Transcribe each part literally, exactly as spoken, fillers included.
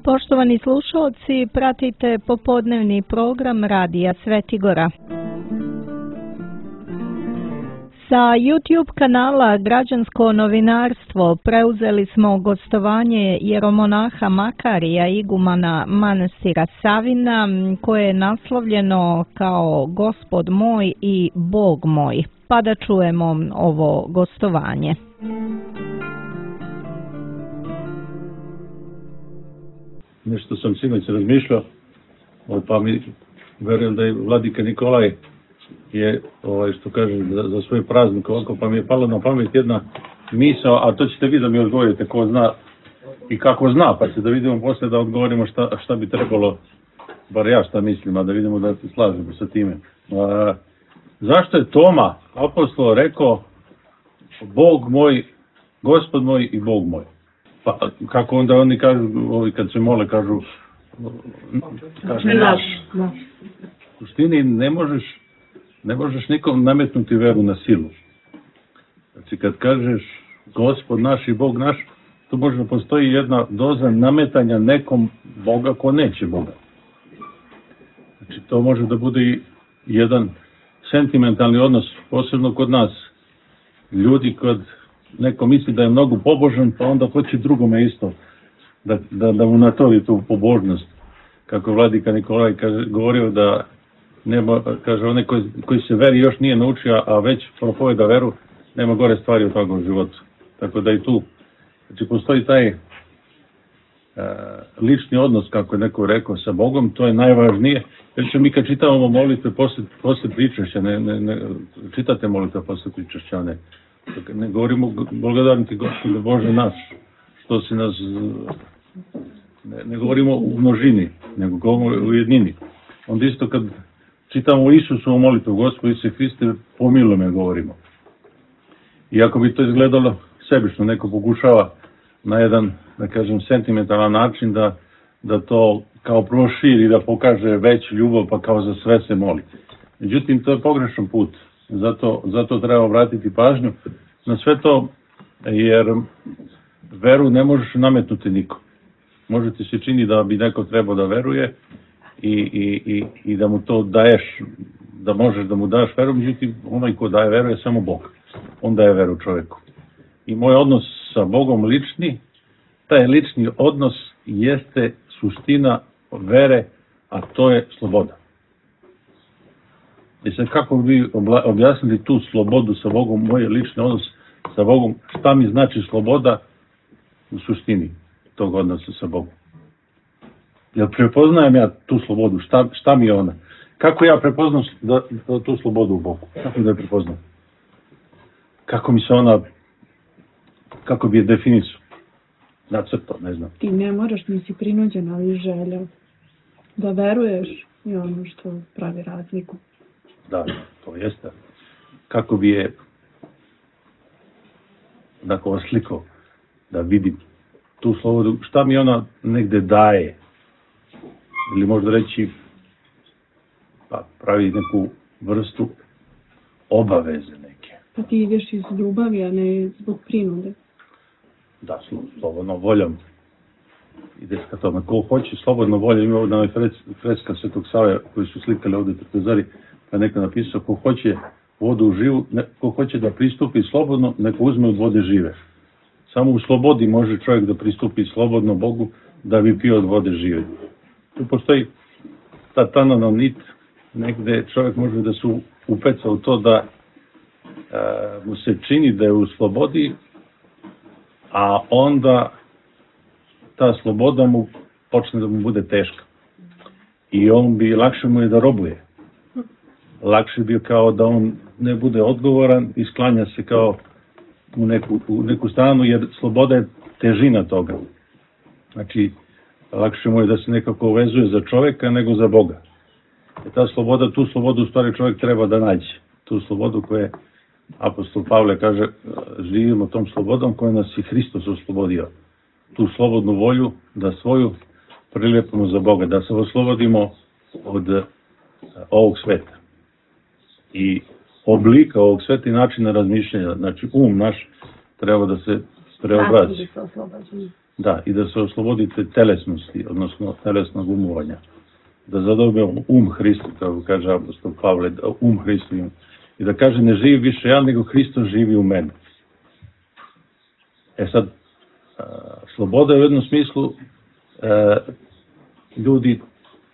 Poštovani slušalci, pratite popodnevni program Radija Svetigora. Sa YouTube kanala Građansko novinarstvo preuzeli smo gostovanje jeromonaha Makarija, igumana manastira Savina, koje je naslovljeno kao Gospod moj i Bog moj. Pa da čujemo ovo gostovanje. Nešto sam sinoć razmišljao, pa mi verujem da je vladika Nikolaj je, ovaj, što kaže, za, za svoj praznik ovako, pa mi je palo na pamet jedna misao, a to ćete vi da mi odgovorite ko zna i kako zna, pa će da vidimo posle da odgovorimo šta, šta bi trebalo, bar ja šta mislim, a da vidimo da se slažemo sa time. A, zašto je Toma, apostol, rekao Bog moj, Gospod moj i Bog moj? Pa kako onda oni kažu, ovi kad se mole kažu, kažu naš. U suštini ne možeš, ne možeš nikom nametnuti veru na silu. Znači kad kažeš Gospod naš i Bog naš, tu možda postoji jedna doza nametanja nekom Boga ko neće Boga. Znači to može da bude i jedan sentimentalni odnos, posebno kod nas. Ljudi kod neko misli da je mnogo pobožan, pa onda hoće drugome isto da, da, da mu natori tu pobožnost. Kako vladika Nikolaj kaže, govorio da nema, kaže, onaj koji, koji se veri još nije naučio, a već propoveda veru, nema gore stvari u toga u životu. Tako da i tu, znači postoji taj e, lični odnos, kako je neko rekao, sa Bogom, to je najvažnije. Jer će mi kad čitavamo molitve posle, posle pričešća, ne, ne, ne, čitate molitve posle pričešća, ne. Ne govorimo blagodaran ti Gospode Bože naš, što si nas, ne, ne govorimo u množini, nego govorimo u jednini. Onda isto kad čitamo Isusovu molitvu, Gospod Isuse Hriste, pomiluj me, govorimo. Iako bi to izgledalo sebično, neko pokušava na jedan, da kažem, sentimentalan način da, da to kao proširi, da pokaže veću ljubav, pa kao za sve se moli. Međutim, to je pogrešan put. Zato, zato treba obratiti pažnju na sve to, jer veru ne možeš nametnuti nikom. Može ti se čini da bi neko trebao da veruje i, i, i, i da mu to daješ, da možeš da mu daš veru, međutim onaj ko daje veru je samo Bog. On daje veru čoveku. I moj odnos sa Bogom lični, taj lični odnos jeste suština vere, a to je sloboda. I sad kako bi objasnili tu slobodu sa Bogom, moj lični odnos sa Bogom, šta mi znači sloboda u suštini tog odnosa sa Bogom? Jel prepoznajem ja tu slobodu, šta, šta mi je ona? Kako ja prepoznam da, da, tu slobodu u Bogu? Kako da je prepoznam? Kako mi se ona, kako bi je definisao? Nacrtao, ne znam. Ti ne moraš, nisi prinuđen, ali želeo da veruješ i ono što pravi razliku. Da, to jeste. Kako bi je dakle oslikao, da vidim tu slobodu, šta mi ona negde daje, ili možda reći, pa pravi neku vrstu obaveze neke. Pa ti ideš iz ljubavi, a ne zbog prinude. Da, slobodno voljom ideš ka tome. Ko hoće slobodno voljom, ima ovdje freska Svetog Save koji su slikali ovdje Trpezari, pa neko napisao, ko hoće vodu živu, ne, ko hoće da pristupi slobodno, neko uzme od vode žive. Samo u slobodi može čovjek da pristupi slobodno Bogu, da bi pio od vode žive. Tu postoji ta tanana nit, negde čovjek može da se upeca u to da e, mu se čini da je u slobodi, a onda ta sloboda mu počne da mu bude teška. I on bi, lakše mu je da robuje. Lakše bi kao da on ne bude odgovoran i sklanja se kao u neku, u neku stranu, jer sloboda je težina toga. Znači, lakše mu je da se nekako vezuje za čoveka nego za Boga. I ta sloboda, tu slobodu u stvari čovjek treba da nađe. Tu slobodu koje apostol Pavle kaže, živimo tom slobodom koja nas i Hristos oslobodio. Tu slobodnu volju da svoju prilepimo za Boga, da se oslobodimo od ovog sveta. I oblika ovog sveta i načina razmišljanja, znači um naš treba da se preobrazi. Da, i da se oslobodite telesnosti, odnosno telesnog umovanja. Da zadobijemo um Hristu, kako kaže apostol Pavle, um Hristu im. I da kaže, ne živi više ja, nego Hristos živi u meni. E sad, sloboda je u jednom smislu, e, ljudi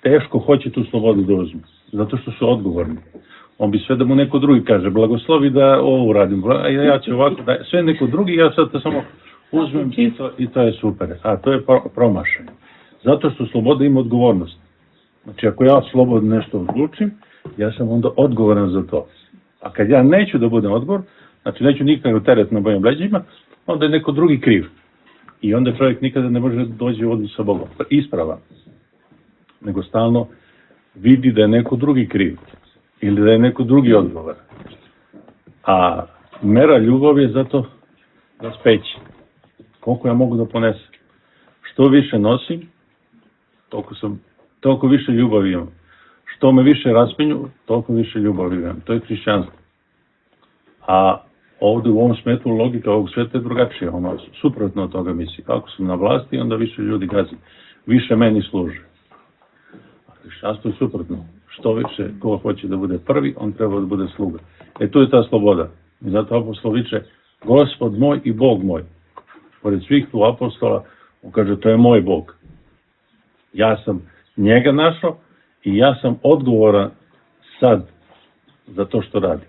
teško hoće tu slobodu da uzmu, zato što su odgovorni. On bi sve da mu neko drugi kaže, blagoslovi da ovo uradim, ja ću ovako, da, sve neko drugi, ja sad to samo uzmem i to, i to je super. A to je promašaj. Zato što sloboda ima odgovornost. Znači, ako ja slobodno nešto odlučim, ja sam onda odgovoran za to. A kad ja neću da budem odgovor, znači neću nikakav teret na mojim leđima, onda je neko drugi kriv. I onda čovjek nikada ne može doći u odnos sa Bogom. Isprava. Nego stalno vidi da je neko drugi kriv. Ili da je neko drugi odgovor. A mera ljubavi je zato da speći. Koliko ja mogu da ponesem. Što više nosim, toliko, sam, toliko više ljubavi imam. Što me više raspinju, toliko više ljubavi imam. To je hrišćanstvo. A ovdje u ovom smetu logika ovog sveta je drugačija. Ono, suprotno od toga misli. Ako sam na vlasti, onda više ljudi gazi. Više meni služe. A hrišćanstvo je suprotno. Što više, ko hoće da bude prvi, on treba da bude sluga. E tu je ta sloboda. I zato apostol viče, Gospod moj i Bog moj. Pored svih tu apostola, on kaže, to je moj Bog. Ja sam njega našao i ja sam odgovoran sad za to što radi.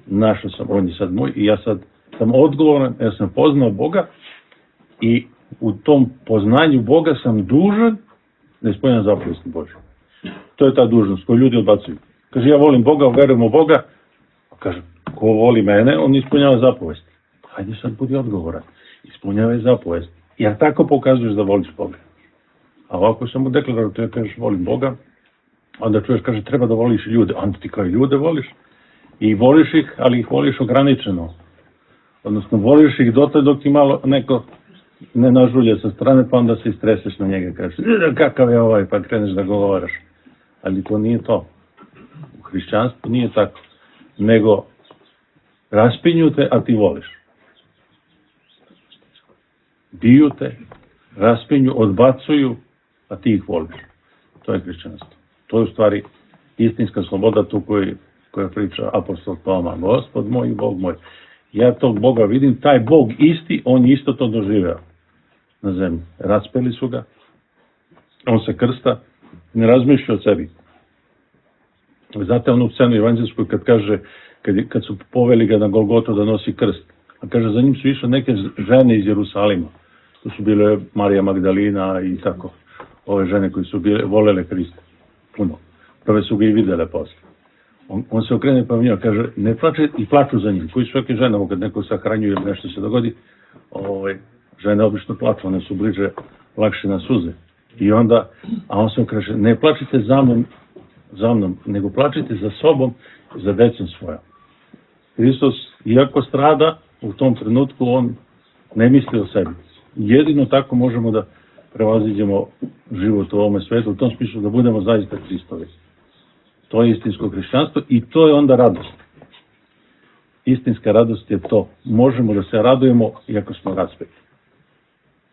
Našao sam, on je sad moj i ja sad sam odgovoran, ja sam poznao Boga i u tom poznanju Boga sam dužan da ispunjam zapovesti Božje. To je ta dužnost koju ljudi odbacuju. Kaže, ja volim Boga, verujem u Boga. Kaže, ko voli mene, on ispunjava zapovesti. Hajde sad budi odgovoran. Ispunjavaj zapovesti. Jer tako pokazuješ da voliš Boga. A ovako samo deklarativno kažeš volim Boga, onda čuješ, kaže, treba da voliš ljude. Onda ti kao i ljude voliš. I voliš ih, ali ih voliš ograničeno. Odnosno, voliš ih dotle dok ti malo neko ne nažulje sa strane, pa onda se istreseš na njega. Kažeš, kakav je ovaj, pa kreneš da govaraš. Ali to nije to. U hrišćanstvu nije tako. Nego raspinju te, a ti voliš. Biju te, raspinju, odbacuju, a ti ih voliš. To je hrišćanstvo. To je u stvari istinska sloboda tu koju, koja priča apostol Toma. Gospod moj i Bog moj. Ja tog Boga vidim, taj Bog isti, on je isto to doživeo na zemlji. Raspeli su ga, on se krsta, ne razmišlja o sebi. Znate onu scenu evanđelsku kad kaže, kad, kad su poveli ga na Golgotu da nosi krst, a kaže za njim su išle neke žene iz Jerusalima. To su bile Marija Magdalina i tako, ove žene koje su bile, volele Hrista. Puno. Prve su ga i videle posle. On, on se okrene pa njima kaže, ne plače i plaču za njim. Koji svake žene, kad neko sahranjuje ili nešto se dogodi, ove, žene obično plaču, one su bliže, lakše na suze. I onda, a on se okreće, ne plačite za mnom, za mnom, nego plačite za sobom i za decom svojom. Hristos, iako strada, u tom trenutku on ne misli o sebi. Jedino tako možemo da prevaziđemo život u ovome svetu, u tom smislu da budemo zaista Hristovi. To je istinsko hrišćanstvo i to je onda radost. Istinska radost je to. Možemo da se radujemo iako smo raspeti.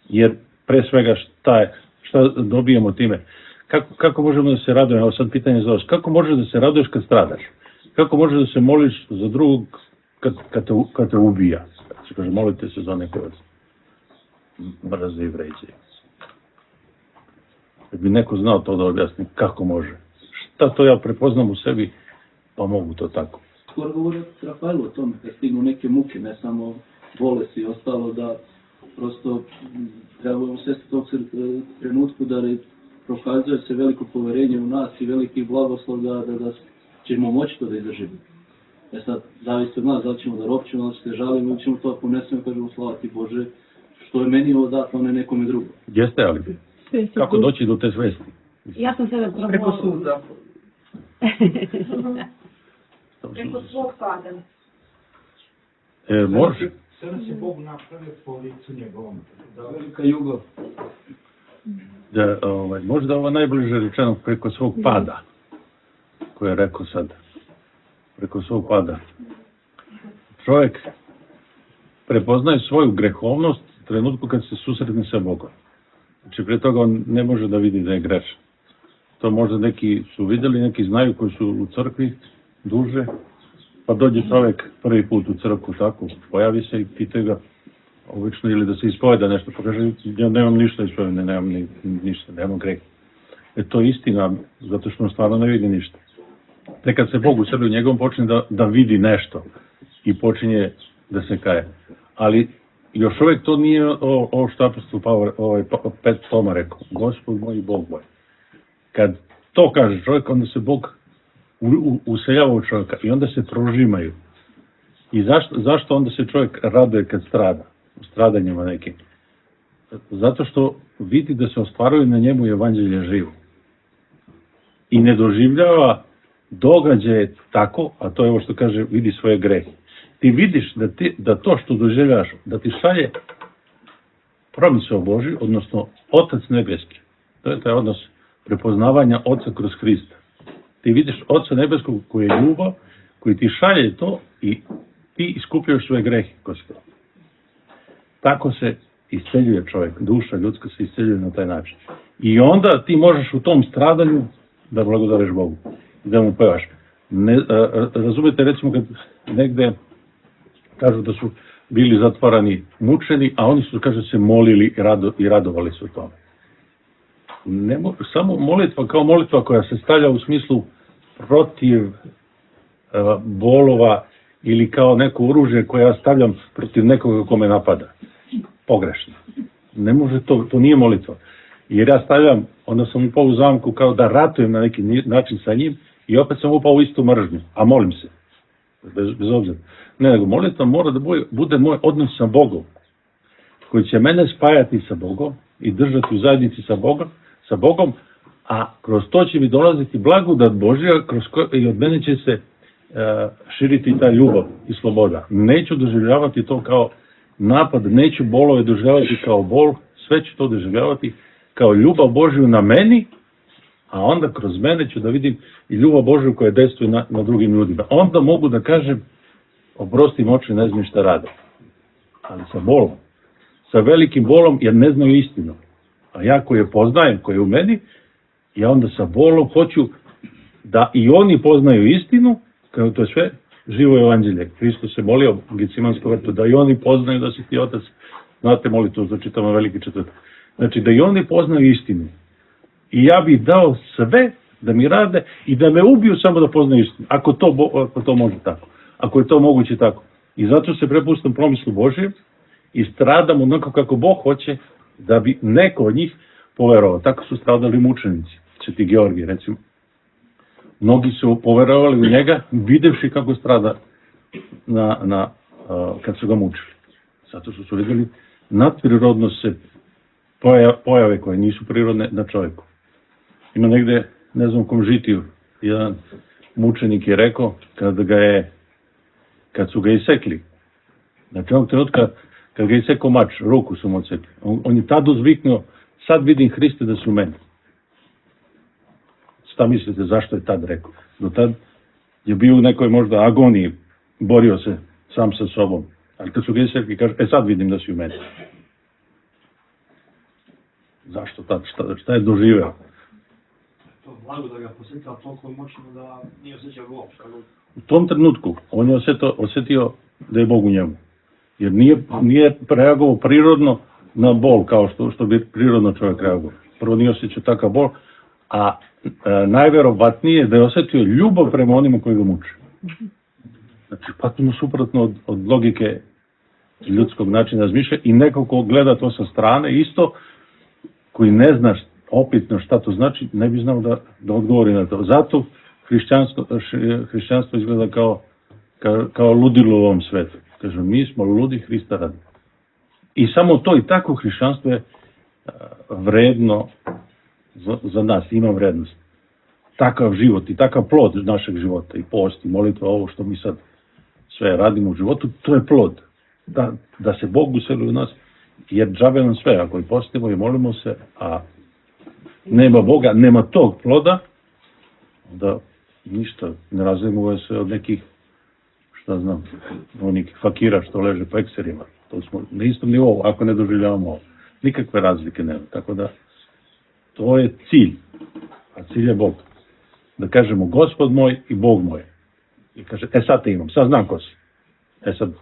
Jer pre svega šta, je, šta dobijemo time? Kako, kako možemo da se radujemo? Evo sad pitanje za vas. Kako možeš da se raduješ kad stradaš? Kako možeš da se moliš za drugog kad, kad, te, kad te ubija? Kad se kaže molite se za neke vas mrze i vređe. Kad bi neko znao to da objasni, kako može? Šta to ja prepoznam u sebi, pa mogu to tako. Skoro govori Rafaelu o tome, kad stignu neke muke, ne samo bolesti i ostalo, da prosto trebamo svesti tog trenutku da prokazuje se veliko poverenje u nas i veliki blagoslov da, da, da ćemo moći to da izdržimo. E sad, zavisi od nas, da li ćemo da ropćemo, da li ćemo da žalimo, ili ćemo to ponesemo i kažemo slava ti Bože, što je meni ovo dato, a ne nekome drugom. Jeste, ali kako doći do te svesti? Ja sam sebe probala. Preko suda. Preko svog pada. E, može. Sada se Bog napravio po licu njegovom. Da, velika ljubav. Da, ovaj, možda ovo najbliže rečeno preko svog pada, koje je rekao sad. Preko svog pada. Čovjek prepoznaje svoju grehovnost u trenutku kad se susretne sa Bogom. Znači, prije toga on ne može da vidi da je grešan. To možda neki su vidjeli, neki znaju koji su u crkvi duže, pa dođe čovjek prvi put u crkvu tako, pojavi se i pitaju ga obično ili da se ispoveda nešto, pa kaže, ja nemam ništa ispoveda, nemam ni, ništa, nemam greh. E to je istina, zato što on stvarno ne vidi ništa. Tek kad se Bog useli u njegovom, počne da, da vidi nešto i počinje da se kaje. Ali još uvijek to nije ovo, ovo što apostol Pavle, ovaj Pet Toma rekao, Gospod moj i Bog moj. Kad to kaže čovjek, onda se Bog u, u, useljava u čovjeka i onda se prožimaju. I zašto, zašto onda se čovjek raduje kad strada, u stradanjima nekim? Zato što vidi da se ostvaruje na njemu evanđelje živo. I ne doživljava događaje tako, a to je ovo što kaže, vidi svoje grehe. Ti vidiš da, ti, da to što doživljavaš, da ti šalje promisao Božji, odnosno Otac nebeski. To je taj odnos prepoznavanja Oca kroz Hrista. Ti vidiš Oca nebeskog koji je ljubav, koji ti šalje to i ti iskupljaš svoje grehe kroz to. Tako se isceljuje čovjek, duša ljudska se isceljuje na taj način. I onda ti možeš u tom stradanju da blagodariš Bogu, da mu pevaš. Ne, a, razumete, recimo kad negde kažu da su bili zatvarani, mučeni, a oni su, kaže, se molili i, rado, i radovali se u tome. Ne, samo molitva kao molitva koja se stavlja u smislu protiv a, bolova ili kao neko oružje koje ja stavljam protiv nekoga ko me napada. Pogrešno. Ne može to, to nije molitva. Jer ja stavljam, onda sam upao u zamku kao da ratujem na neki način sa njim i opet sam upao u istu mržnju, a molim se. Bez, bez obzira. Ne, nego molitva mora da bude moj odnos sa Bogom, koji će mene spajati sa Bogom i držati u zajednici sa Bogom, sa Bogom, a kroz to će mi dolaziti blagodat Božja, kroz koje i od mene će se uh, širiti ta ljubav i sloboda. Neću doživljavati to kao napad, neću bolove doživljavati kao bol, sve ću to doživljavati kao ljubav Božju na meni, a onda kroz mene ću da vidim i ljubav Božju koja dejstvuje na, na drugim ljudima. Onda mogu da kažem, oprosti oči, ne znam šta rade. Ali sa bolom. Sa velikim bolom, jer ne znaju istinu. A ja koji je poznajem, koji je u meni, ja onda sa bolom hoću da i oni poznaju istinu, kao to je sve živo evanđelje. Hristos se molio u Gecimanskom vrtu, da i oni poznaju da si ti Otac. Znate molitvu, to čitamo veliki četvrtak. Znači, da i oni poznaju istinu. I ja bih dao sve da mi rade i da me ubiju samo da poznaju istinu. Ako to, ako to može tako. Ako je to moguće tako. I zato se prepustam promislu Božjem i stradam onako kako Bog hoće da bi neko od njih poverovao. Tako su stradali mučenici. Sveti Georgij, recimo. Mnogi su poverovali u njega, videvši kako strada na, na, uh, kad su ga mučili. Zato što su vidjeli nadprirodno se pojave koje nisu prirodne na čovjeku. Ima negde, ne znam u kom žitiju, jedan mučenik je rekao, kad ga je, kad su ga isekli, znači onog trenutka, kad ga je isekao mač, ruku su mu odsekli, on, on je tad uzviknuo, sad vidim Hriste da su u meni. Šta mislite, zašto je tad rekao? Do tad je bio u nekoj možda agoniji, borio se sam sa sobom, ali kad su ga isekli, kaže, e sad vidim da si u meni. Zašto tad? Šta, šta je doživeo? To blago da ga posjetila toliko moćno da nije osjećao bol. U tom trenutku on je osjetio, osjetio da je Bog u njemu. Jer nije, nije reagovao prirodno na bol kao što, što bi prirodno čovjek reagovao. Prvo nije osjećao takav bol, a e, najverovatnije da je osjetio ljubav prema onima koji ga muče. Znači, potpuno suprotno od, od logike ljudskog načina razmišlja i neko ko gleda to sa strane, isto koji ne zna opitno šta to znači, ne bi znao da, da odgovori na to. Zato hrišćanstvo, hrišćanstvo izgleda kao, kao, kao ludilo u ovom svetu. Kažu, mi smo ludi Hrista radi. I samo to i tako hrišćanstvo je vredno za, za nas, ima vrednost. Takav život i takav plod našeg života, i post, i molitva, ovo što mi sad sve radimo u životu, to je plod. Da, da se Bog useli u nas, jer džabe nam sve, ako i postimo i molimo se, a nema Boga, nema tog ploda, da ništa, ne razumuje se od nekih, šta znam, onih fakira što leže po ekserima. To smo na istom nivou, ako ne doživljavamo ovo. Nikakve razlike nema. Tako da, to je cilj. A cilj je Bog. Da kažemo Gospod moj i Bog moj. I kaže, e sad te imam, sad znam ko si. E sad,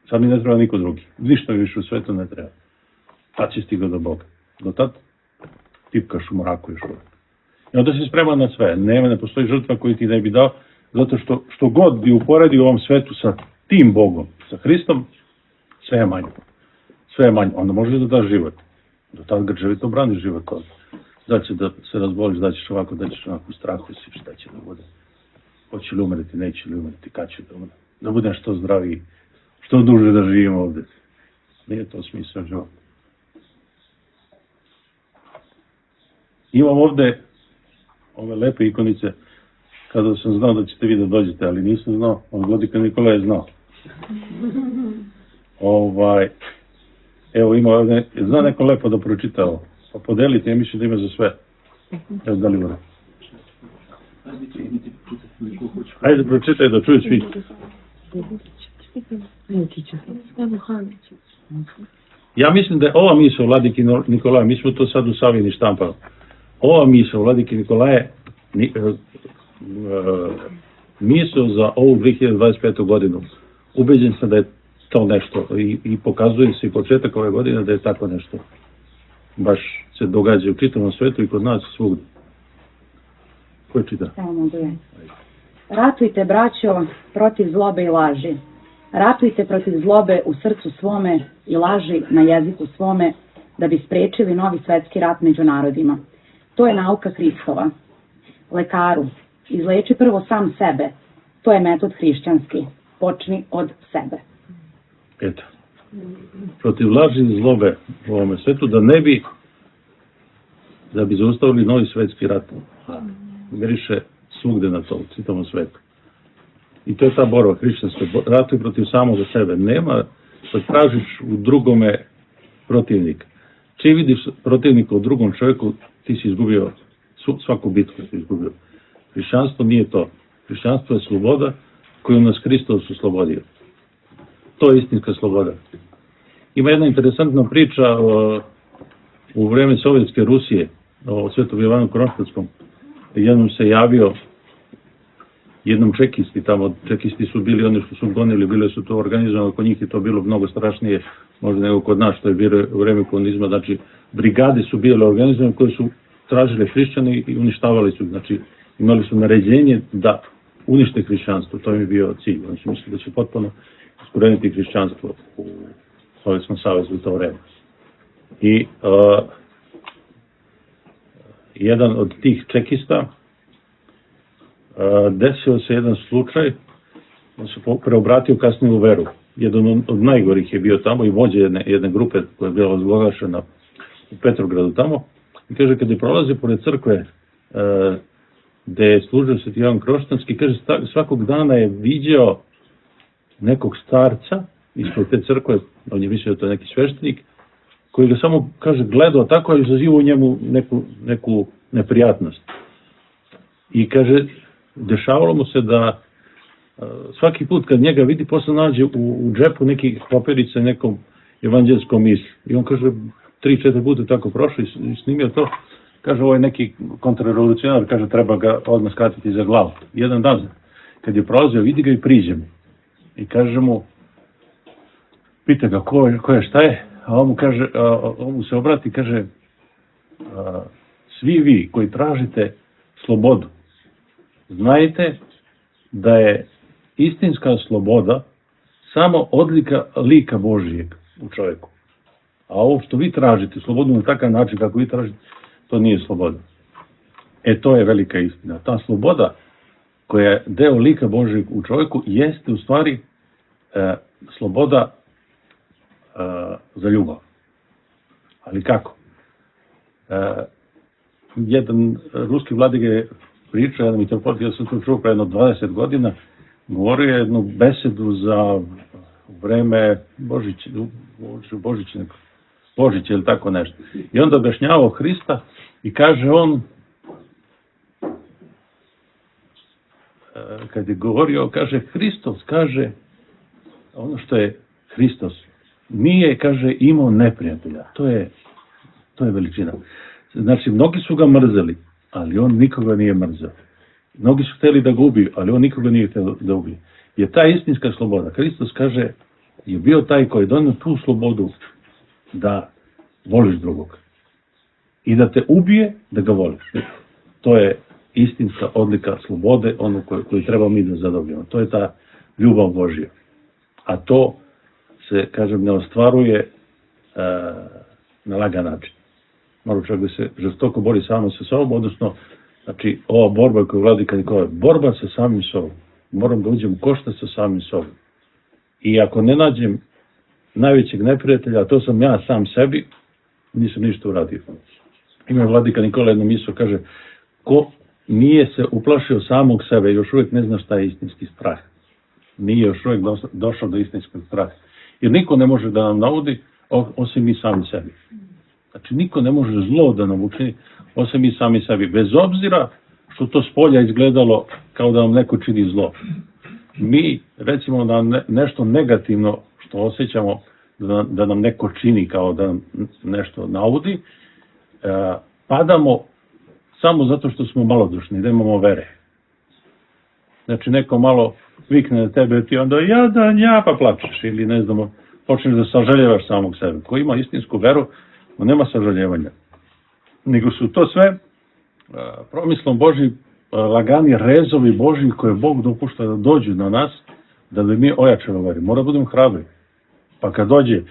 sad mi ne treba niko drugi. Ništa više u svetu ne treba. Tad si stigao do Boga. Do tad tipkaš u mraku još uvijek. I onda si spreman na sve. Nema, ne postoji žrtva koju ti ne bi dao, zato što što god bi uporedio u ovom svetu sa tim Bogom, sa Hristom, sve je manje. Sve je manje. Onda možeš da daš život. Do tad grčevito braniš život. Da će da se razboliš, da ćeš ovako, da ćeš onako u strahu si, šta će da bude. Hoće li umreti, neće li umreti, kad će da umre. Da budem što zdraviji, što duže da živim ovdje. Nije to smisao života. Imam ovdje ove lepe ikonice, kada sam znao da ćete vi da dođete, ali nisam znao, od Vladika Nikola je znao. Ovaj, evo ima ovdje, zna neko lepo da pročita ovo, pa podelite, ja mislim da ima za sve. Evo da li vore. Ajde pročitaj da čuju svi. Ja mislim da je ova misao Vladike Nikolaja, mi smo to sad u Savini štampali, ova misao Vladike Nikolaje misao za ovu dve hiljade dvadeset petu godinu. Ubeđen sam da je to nešto i, i pokazuje se i početak ove godine da je tako nešto baš se događa u čitavom svetu i kod nas svugdje. Ko je čita? Ratujte, braćo, protiv zlobe i laži. Ratujte protiv zlobe u srcu svome i laži na jeziku svome, da bi spriječili novi svetski rat među narodima. To je nauka Hristova. Lekaru, izleči prvo sam sebe. To je metod hrišćanski. Počni od sebe. Eto. Protiv laži i zlobe u ovome svetu, da ne bi da bi zaustavili novi svetski rat. Miriše svugde na to, u čitavom svetu. I to je ta borba hrišćanska. Ratuj protiv samoga sebe. Nema da tražiš u drugome protivnika. Čim vidiš protivnika u drugom čovjeku, ti si izgubio svaku bitku, si izgubio. Hrišćanstvo nije to. Hrišćanstvo je sloboda koju nas Hristos oslobodio. To je istinska sloboda. Ima jedna interesantna priča o, u vreme Sovjetske Rusije, o Svetom Jovanu Kronštatskom. Jednom se javio jednom čekisti tamo, čekisti su bili oni što su gonili, bile su to organizovano, kod njih je to bilo mnogo strašnije, možda nego kod nas, što je bilo u vreme komunizma, znači brigade su bile organizovane koje su tražile hrišćane i uništavali su, znači imali su naređenje da unište hrišćanstvo, to im je bio cilj, oni su mislili da će potpuno iskoreniti hrišćanstvo u Sovjetskom savezu u to vreme. I uh, jedan od tih čekista desio se jedan slučaj, on se preobratio kasnije u veru. Jedan od najgorih je bio tamo i vođa jedne, jedne grupe koja je bila razglašena u Petrogradu tamo. I kaže, kad je prolazio pored crkve gde je služio Sveti Jovan Kronštatski, kaže, svakog dana je viđao nekog starca ispod te crkve, on je mislio da to je neki sveštenik, koji ga samo, kaže, gledao tako i izazivao u njemu neku, neku neprijatnost. I kaže, dešavalo mu se da svaki put kad njega vidi, posle nađe u, u džepu neki papirice nekom evanđelskom misli. I on kaže, tri, četiri puta tako prošao i snimio to. Kaže, ovo je neki kontrarevolucionar, kaže, treba ga odmah skratiti za glavu. Jedan dan, kad je prolazio, vidi ga i priđe mu. I kaže mu, pita ga, ko je, ko je, šta je? A on mu, kaže, a, on mu se obrati i kaže, a, svi vi koji tražite slobodu, znajte da je istinska sloboda samo odlika lika Božijeg u čovjeku. A ovo što vi tražite, slobodu na takav način kako vi tražite, to nije sloboda. E, to je velika istina. Ta sloboda koja je deo lika Božijeg u čovjeku jeste u stvari e, sloboda e, za ljubav. Ali kako? E, jedan ruski vladika je pričao, jedan mitropolit, ja sam to čuo pre jedno dvadeset godina, govorio je jednu besedu za vreme Božića, Božića, Božića ili tako nešto. I onda objašnjavao Hrista i kaže on, kad je govorio, kaže Hristos, kaže ono što je Hristos, nije, kaže, imao neprijatelja. To je, to je veličina. Znači, mnogi su ga mrzeli, ali on nikoga nije mrzeo. Mnogi su htjeli da ga ubiju, ali on nikoga nije htio da ubije. Je ta istinska sloboda. Hristos kaže, je bio taj koji je donio tu slobodu da voliš drugog. I da te ubije, da ga voliš. To je istinska odlika slobode, onu koju, koju treba mi da zadobijemo. To je ta ljubav Božja. A to se, kažem, ne ostvaruje e, na lagan način. Mora čovjek da se žestoko bori samo sa sobom, odnosno, znači, ova borba koju vladika Nikola, borba sa samim sobom. Moram da uđem u koštac sa samim sobom. I ako ne nađem najvećeg neprijatelja, a to sam ja sam sebi, nisam ništa uradio. Ima vladika Nikola jednu misao, kaže, ko nije se uplašio samog sebe, još uvijek ne zna šta je istinski strah. Nije još uvijek došao do istinskog straha. Jer niko ne može da nam naudi, osim mi sami sebi. Znači, niko ne može zlo da nam učini, osim mi sami sebi. Bez obzira što to s polja izgledalo kao da nam neko čini zlo. Mi, recimo, da ne, nešto negativno što osjećamo da, da nam neko čini kao da nam nešto naudi, e, padamo samo zato što smo malodušni, da imamo vere. Znači, neko malo vikne na tebe, ti onda jadan, ja, pa plačeš, ili ne znamo, počneš da sažaljevaš samog sebe. Ko ima istinsku veru, on nema sažaljevanja. Nego su to sve a, promislom Božji, a, lagani rezovi Božji koje Bog dopušta da dođu na nas, da bi mi ojačali veri. Mora budemo hrabri. Pa kad dođe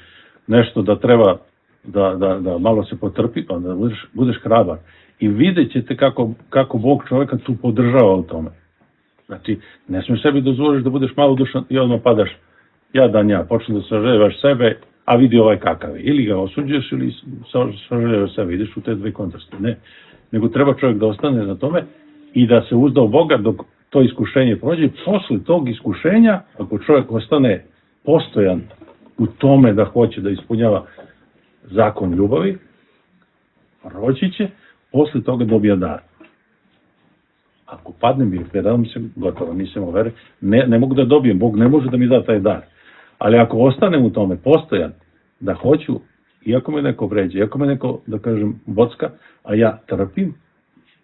nešto da treba da, da, da malo se potrpi, onda budeš, budeš hrabar. I vidjet ćete kako, kako Bog čovjeka tu podržava u tome. Znači, ne smiješ sebi dozvoliš da budeš malo dušan i odmah padaš jadan ja, počne da sažaljevaš sebe, a vidi ovaj kakav je. Ili ga osuđuješ ili sažaljevaš sebe, ideš u te dve kontraste. Ne, nego treba čovjek da ostane na tome i da se uzda u Boga dok to iskušenje prođe. Posle tog iskušenja, ako čovjek ostane postojan u tome da hoće da ispunjava zakon ljubavi, proći će, posle toga dobija dar. Ako padnem i predam se, gotovo, nisam u veri, ne, ne mogu da dobijem, Bog ne može da mi da taj dar. Ali ako ostanem u tome postojan, da hoću, iako me neko vređe, iako me neko, da kažem, bocka, a ja trpim,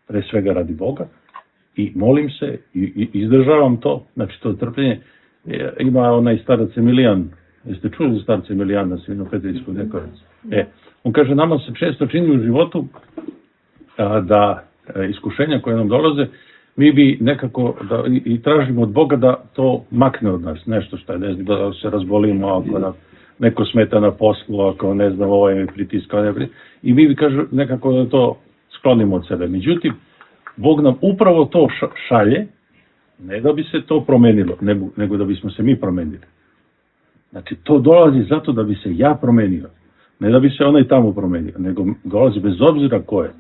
pre svega radi Boga, i molim se, i, i izdržavam to, znači to trpljenje, ima onaj starac Emilijan, jeste čuli za starca Emilijana, Svinopetrijskog dekoraca? E, on kaže, nama se često čini u životu a, da a, iskušenja koje nam dolaze, mi bi nekako da, i, i tražimo od Boga da to makne od nas, nešto što je, ne znam, da se razbolimo, ako nam neko smeta na poslu, ako ne znam, ovaj mi pritiska, ne pritiska, i mi bi kažu nekako da to sklonimo od sebe. Međutim, Bog nam upravo to šalje, ne da bi se to promenilo, nego da bismo se mi promenili. Znači, to dolazi zato da bi se ja promenio, ne da bi se onaj tamo promenio, nego dolazi bez obzira ko je.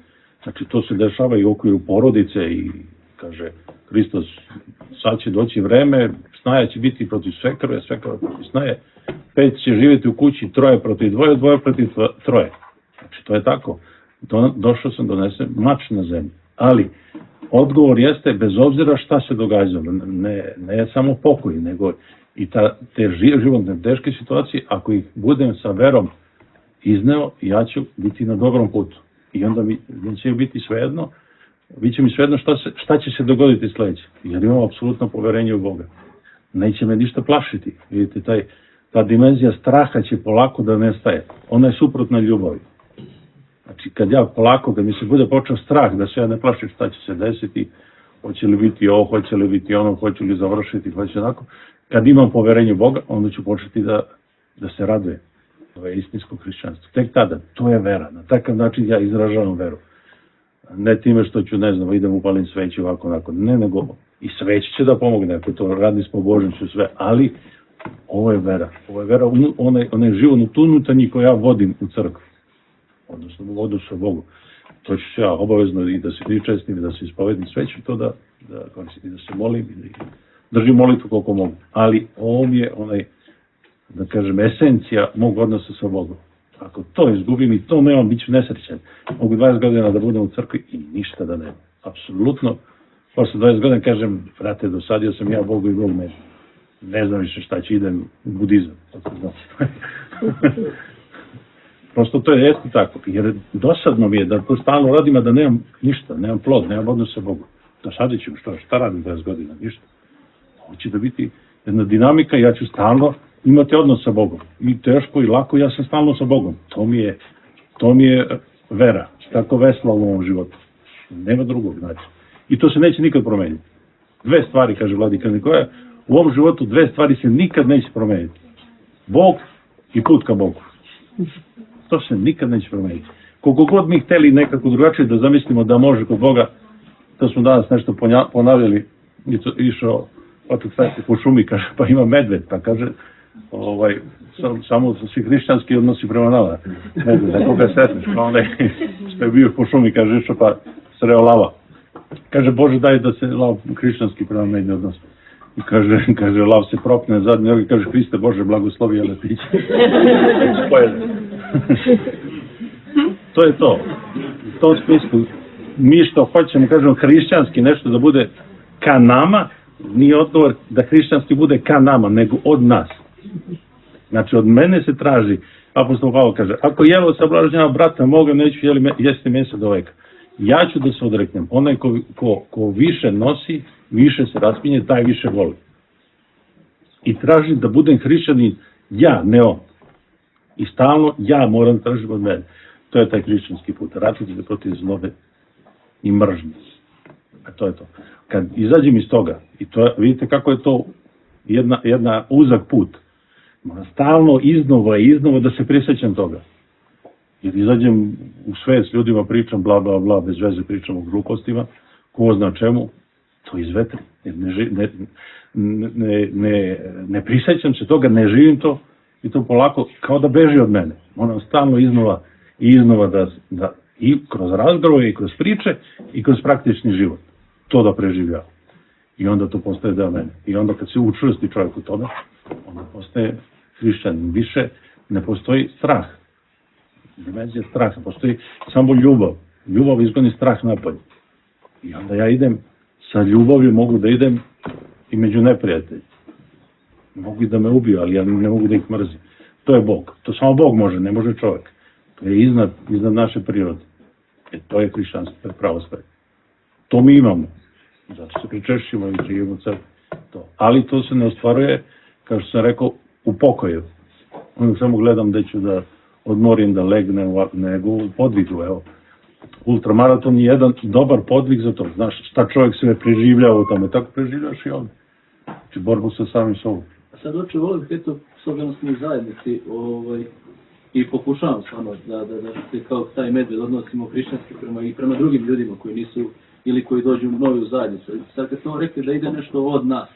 Znači, to se dešava i u okviru porodice i kaže Hristos, sad će doći vreme, snaja će biti protiv svekrve, svekrva protiv snaje, pet će živjeti u kući, troje protiv dvoje, dvoje protiv troje. Znači, to je tako. Do, došao sam donesem mač na zemlju. Ali, odgovor jeste, bez obzira šta se događalo, ne, ne samo pokoj, nego i ta, te životne teške situacije, ako ih budem sa verom izneo, ja ću biti na dobrom putu. I onda mi, mi će biti svejedno, bit će mi svejedno šta, se, šta će se dogoditi sljedeće. Jer imam apsolutno poverenje u Boga. Neće me ništa plašiti. Vidite, taj, ta dimenzija straha će polako da nestaje. Ona je suprotna ljubavi. Znači, kad ja polako, kad mi se bude počeo strah da se ja ne plašim šta će se desiti, hoće li biti ovo, hoće li biti ono, hoće li završiti, hoće onako, kad imam poverenje u Boga, onda ću početi da, da se radujem. To je istinsko hrišćanstvo. Tek tada, to je vera. Na takav način ja izražavam veru. Ne time što ću, ne znam, idem upalim sveću ovako, onako. Ne, nego i sveć će da pomogne, ako to radi s pobožnošću sve, ali ovo je vera. Ovo je vera, onaj, onaj život unutarnji koji ja vodim u crkvu. Odnosno, u vodu sa Bogu. To ću ja obavezno i da se pričestim, da se ispovedim sveću, to da, da, da se molim i da držim molitvu koliko mogu. Ali ovo mi je onaj, da kažem, esencija mog odnosa sa Bogom. Ako to izgubim i to nemam, bit ću nesrećan. Mogu dvadeset godina da budem u crkvi i ništa da nemam. Apsolutno. Posle dvadeset godina kažem, frate, dosadio sam ja Bogu i Bog meni. ne znam više šta će, idem u budizam. Prosto to je jeste tako, jer dosadno mi je da to stalno radim, a da nemam ništa, nemam plod, nemam odnos sa Bogom. Dosadit ću, što, šta radim dvadeset godina, ništa. Ovo će da biti jedna dinamika, ja ću stalno imati odnos sa Bogom. I teško i lako, ja sam stalno sa Bogom. To mi je, to mi je vera, tako vesla u ovom životu. Nema drugog, znači. I to se neće nikad promeniti. Dve stvari, kaže Vladika Nikola, u ovom životu dve stvari se nikad neće promeniti. Bog i put ka Bogu. To se nikad neće promeniti. Koliko god mi hteli nekako drugačije da zamislimo da može kod Boga, to smo danas nešto ponavljali, išao otak stajati po šumi, kaže, pa ima medved, pa kaže, ovaj, sam, samo svi hrišćanski odnosi prema nama. Medved, da koga sretneš, pa onaj što je bio po šumi, kaže, išao pa sreo lava. Kaže, Bože, daj da se lav hrišćanski prema meni odnosi. I kaže, kaže, lav se propne zadnje noge, kaže, Hriste Bože, blagoslovi, ali ti će. To je to. U tom smislu, mi što hoćemo, kažemo, hrišćanski nešto da bude ka nama, nije odgovor da hrišćanski bude ka nama, nego od nas. Znači, od mene se traži, apostol Pavle kaže, ako jelo sablažnjava brata moga, neću jeli, jesti mesa do veka. Ja ću da se odreknem. Onaj ko, ko, ko više nosi, više se raspinje, taj više voli. I tražim da budem hrišćanin ja, ne on. I stalno ja moram tražiti od mene. To je taj hrišćanski put. Ratiti se protiv zlobe i mržnje. A to je to. Kad izađem iz toga, i to, vidite kako je to jedna, jedna uzak put, moram stalno iznova i iznova da se prisjećam toga. Jer izađem u svet s ljudima, pričam bla bla bla, bez veze pričam o glupostima, ko zna čemu, to izvetri. Jer ne, ne, ne, ne, ne prisjećam se toga, ne živim to i to polako kao da beži od mene. Moram stalno iznova i iznova da, da i kroz razgovore i kroz priče i kroz praktični život to da preživljavam. I onda to postaje deo mene. I onda kad se učvrsti čovjek u tome, onda postaje hrišćanin. Više ne postoji strah. Dimenzija straha, postoji samo ljubav. Ljubav izgoni strah napolje. I onda ja idem sa ljubavlju, mogu da idem i među neprijatelji. Mogu i da me ubiju, ali ja ne mogu da ih mrzim. To je Bog. To samo Bog može, ne može čovjek. To je iznad, iznad naše prirode. E, to je hrišćanstvo, to je pravoslavlje. To mi imamo. Zato se pričešćimo i živimo crkvu. To. Ali to se ne ostvaruje, kao što sam rekao, u pokoju. Onda samo gledam gde ću da odmorim, da legnem, nego u podvigu, evo. Ultramaraton je jedan dobar podvig za to. Znaš šta čovjek sve preživljava u tome, tako preživljaš i ovdje. Znači borbu sa samim sobom. A sad oče, volio bih, eto, s obzirom smo u zajednici, ovaj, i pokušavam stvarno da, da, da se kao taj medved odnosimo hrišćanski prema, i prema drugim ljudima koji nisu, ili koji dođu novi u zajednicu. Sad kad smo rekli da ide nešto od nas,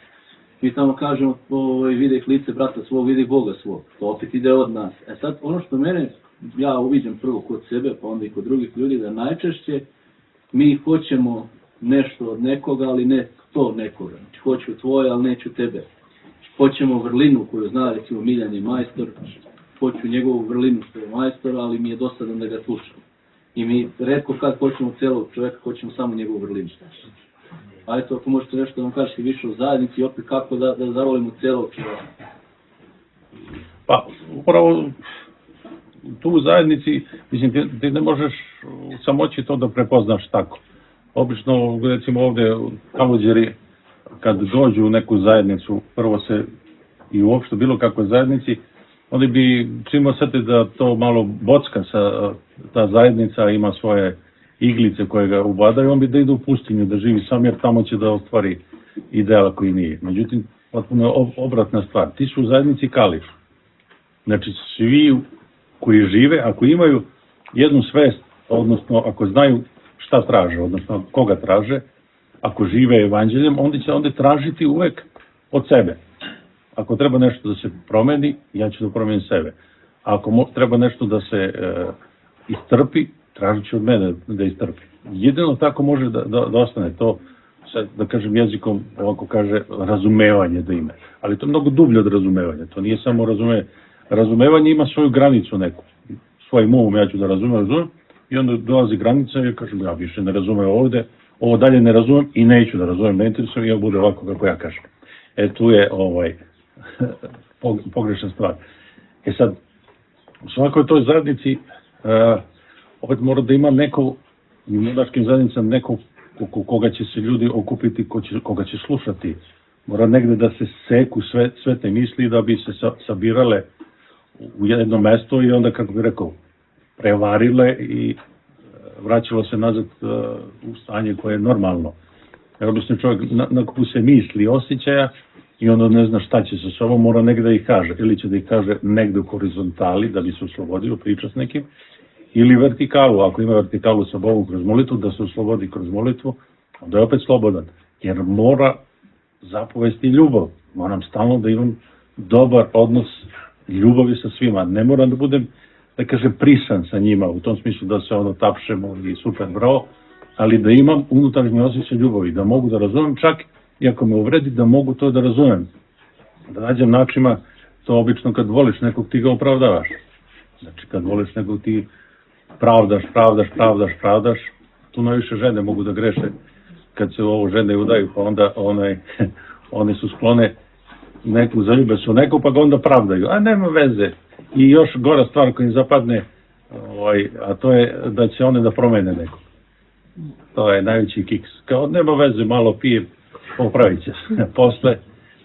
mi tamo kažemo, ovaj, vidi lice brata svog, vidi Boga svog. To opet ide od nas. E sad, ono što mene, ja uviđam prvo kod sebe, pa onda i kod drugih ljudi, da najčešće mi hoćemo nešto od nekoga, ali ne to nekoga. Znači, hoću tvoje, ali neću tebe. Hoćemo vrlinu koju zna, recimo, Miljan je majstor, hoću njegovu vrlinu što je majstor, ali mi je dosadan da ga slušam. I mi retko kad hoćemo celog čovjeka, hoćemo samo njegovu vrlinu. A eto, ako možete nešto da vam kažete više o zajednici i opet kako da, da zavolimo celog čovjeka. Pa, upravo tu u zajednici, mislim, ti, ti ne možeš u samoći to da prepoznaš tako. Obično, recimo ovdje u Kaluđeri, kad dođu u neku zajednicu, prvo se i uopšte bilo kakvoj zajednici, oni bi čim osjeti da to malo bocka sa ta zajednica, ima svoje iglice koje ga ubadaju, on bi da ide u pustinju, da živi sam, jer tamo će da ostvari ideal koji nije. Međutim, potpuno je obratna stvar. Ti su u zajednici kališ. Znači, svi koji žive, ako imaju jednu svest, odnosno ako znaju šta traže, odnosno koga traže, ako žive evanđeljem, onda će onda tražiti uvek od sebe. Ako treba nešto da se promeni, ja ću da promenim sebe. Ako mo, treba nešto da se e, istrpi, tražit će od mene da istrpi. Jedino tako može da, da, da ostane to, sad, da kažem jezikom, ovako kaže, razumevanje da ima. Ali to je mnogo dublje od razumevanja. To nije samo razumevanje. Razumevanje ima svoju granicu neku. Svojim umom ja ću da razumem, razumem. I onda dolazi granica i ja kažem, ja više ne razumem ovde, ovo dalje ne razumem i neću da razumem, ne interesujem i ja bude ovako kako ja kažem. E tu je ovaj, pogrešna stvar. E sad, u svakoj toj zajednici uh, opet mora da ima neko, u monaškim zajednicama neko koga će se ljudi okupiti, ko će, koga će slušati. Mora negde da se seku sve, sve te misli da bi se sa, sabirale u jedno mesto i onda, kako bih rekao, prevarile i vraćalo se nazad uh, u stanje koje je normalno. Jer obično čovjek nakupu se misli, osjećaja i onda ne zna šta će sa sobom, mora negde da ih kaže. Ili će da ih kaže negde u horizontali da bi se oslobodio, priča s nekim, ili vertikalu, ako ima vertikalu sa Bogom kroz molitvu, da se oslobodi kroz molitvu, onda je opet slobodan. Jer mora zapovesti ljubav. Moram stalno da imam dobar odnos ljubavi sa svima. Ne moram da budem, da kažem, prisan sa njima, u tom smislu da se ono tapšemo i super bravo, ali da imam unutrašnji osjećaj ljubavi, da mogu da razumem čak, iako me uvredi, da mogu to da razumem. Da nađem načina, to obično kad voliš nekog ti ga opravdavaš. Znači kad voliš nekog ti pravdaš, pravdaš, pravdaš, pravdaš, tu najviše žene mogu da greše kad se ovo žene udaju, pa onda onaj, one su sklone neku, zaljube su neku, pa ga onda pravdaju, a nema veze. I još gora stvar koja im zapadne, ovaj, a to je da će one da promene nekog. To je najveći kiks. Kao nema veze, malo pije, popravit će se. Posle,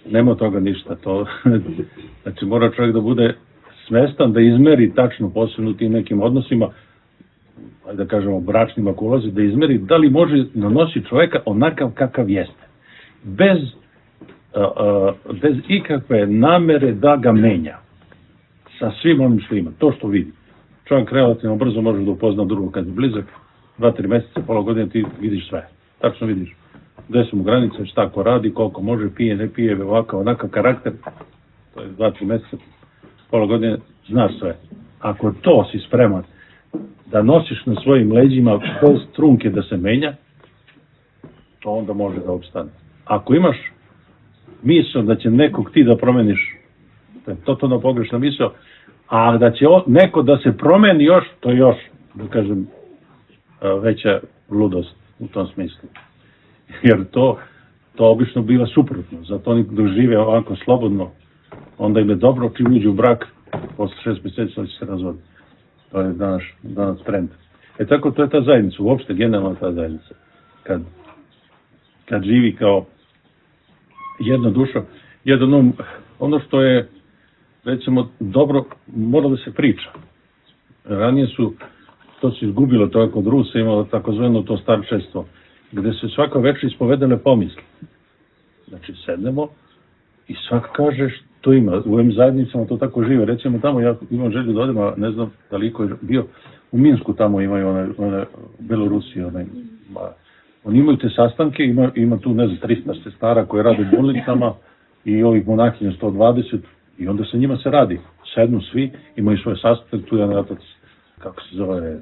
nema toga ništa. To, znači mora čovjek da bude svestan, da izmeri tačno, posebno u tim nekim odnosima, da kažemo bračnim ako ulazi, da izmeri da li može nanosi čovjeka onakav kakav jeste. Bez, a, a, bez ikakve namere da ga menja. Sa svim onim što ima, to što vidi. Čovjek relativno brzo može da upozna drugog kad je blizak, dva, tri meseca, pola godine ti vidiš sve. Tačno vidiš gde su mu granice, šta ko radi, koliko može, pije, ne pije, ovakav, onakav karakter. To je dva, tri meseca, pola godine, znaš sve. Ako to si spreman da nosiš na svojim leđima bez trunke da se menja, to onda može da opstane. Ako imaš misao da će nekog ti da promeniš, to je totalno pogrešna misao, a da će neko da se promeni još, to je još, da kažem, veća ludost u tom smislu. Jer to, to obično biva suprotno. Zato oni dok žive ovako slobodno, onda im je dobro čim uđu u brak, posle šest mjeseci će se razvoditi. To je danas, danas trend. E tako to je ta zajednica, uopšte generalno ta zajednica. Kad, kad živi kao jedna duša, jedan um, ono što je, recimo, dobro, mora da se priča. Ranije su, to se izgubilo, to je kod Rusa imalo takozvano to starčestvo, gde se svaka večer ispovedale pomisli. Znači, sednemo i svak kaže što ima. U ovim zajednicama to tako žive. Recimo, tamo ja imam želju da odem, a ne znam da li ko je bio, u Minsku tamo imaju one, one Belorusije, one, ba, oni imaju te sastanke, ima, ima tu, ne znam, trista sestara koje rade u bolnicama i ovih monahinja sto dvadeset, i onda sa njima se radi. Sednu svi, imaju svoje sastanke, tu je jedan otac, kako se zove,